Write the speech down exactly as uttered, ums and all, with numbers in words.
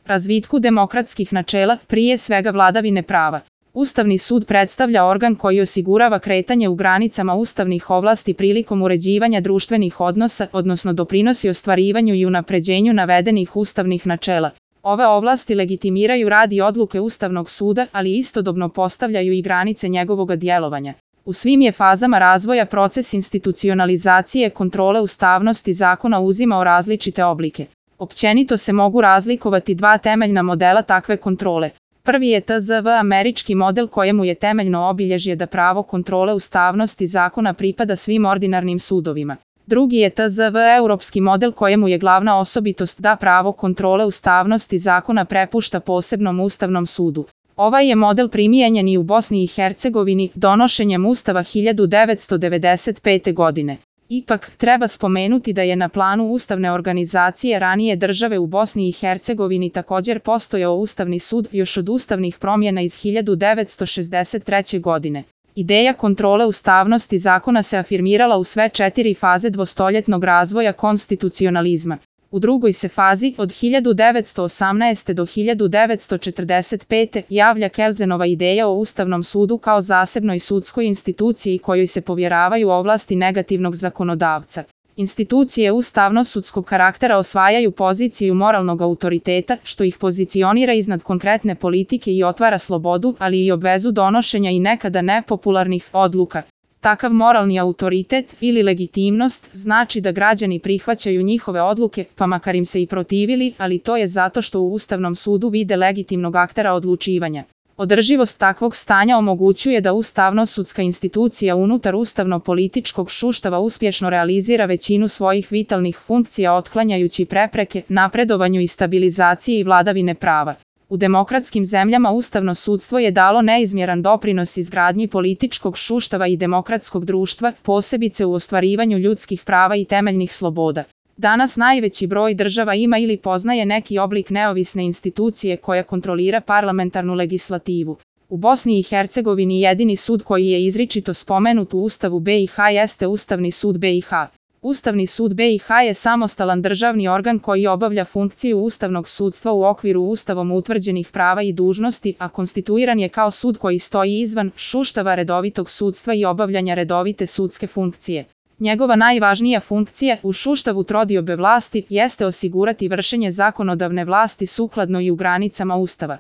razvitku demokratskih načela, prije svega vladavine prava. Ustavni sud predstavlja organ koji osigurava kretanje u granicama ustavnih ovlasti prilikom uređivanja društvenih odnosa, odnosno doprinosi ostvarivanju i unapređenju navedenih ustavnih načela. Ove ovlasti legitimiraju rad i odluke Ustavnog suda, ali istodobno postavljaju i granice njegovog djelovanja. U svim je fazama razvoja proces institucionalizacije kontrole ustavnosti zakona uzimao različite oblike. Općenito se mogu razlikovati dva temeljna modela takve kontrole. Prvi je T Z V američki model kojemu je temeljno obilježje da pravo kontrole ustavnosti zakona pripada svim ordinarnim sudovima. Drugi je T Z V europski model kojemu je glavna osobitost da pravo kontrole ustavnosti zakona prepušta posebnom Ustavnom sudu. Ovaj je model primijenjen i u Bosni i Hercegovini donošenjem Ustava hiljadu devetsto devedeset pete. godine. Ipak, treba spomenuti da je na planu ustavne organizacije ranije države u Bosni i Hercegovini također postojao Ustavni sud još od ustavnih promjena iz hiljadu devetsto šezdeset treće. godine. Ideja kontrole ustavnosti zakona se afirmirala u sve četiri faze dvostoljetnog razvoja konstitucionalizma. U drugoj se fazi, od hiljadu devetsto osamnaeste. do hiljadu devetsto četrdeset pete. javlja Kelsenova ideja o Ustavnom sudu kao zasebnoj sudskoj instituciji kojoj se povjeravaju ovlasti negativnog zakonodavca. Institucije ustavno-sudskog karaktera osvajaju poziciju moralnog autoriteta, što ih pozicionira iznad konkretne politike i otvara slobodu, ali i obvezu donošenja i nekada nepopularnih odluka. Takav moralni autoritet ili legitimnost znači da građani prihvaćaju njihove odluke, pa makar im se i protivili, ali to je zato što u Ustavnom sudu vide legitimnog aktera odlučivanja. Održivost takvog stanja omogućuje da ustavno-sudska institucija unutar ustavno-političkog suštava uspješno realizira većinu svojih vitalnih funkcija otklanjajući prepreke napredovanju i stabilizaciji i vladavine prava. U demokratskim zemljama ustavno sudstvo je dalo neizmjeran doprinos izgradnji političkog suštava i demokratskog društva, posebice u ostvarivanju ljudskih prava i temeljnih sloboda. Danas najveći broj država ima ili poznaje neki oblik neovisne institucije koja kontrolira parlamentarnu legislativu. U Bosni i Hercegovini jedini sud koji je izričito spomenut u Ustavu B i H jeste Ustavni sud B i H. Ustavni sud B i H je samostalan državni organ koji obavlja funkciju ustavnog sudstva u okviru Ustavom utvrđenih prava i dužnosti, a konstituiran je kao sud koji stoji izvan suštava redovitog sudstva i obavljanja redovite sudske funkcije. Njegova najvažnija funkcija u suštavu trodiobe vlasti jeste osigurati vršenje zakonodavne vlasti sukladno i u granicama Ustava.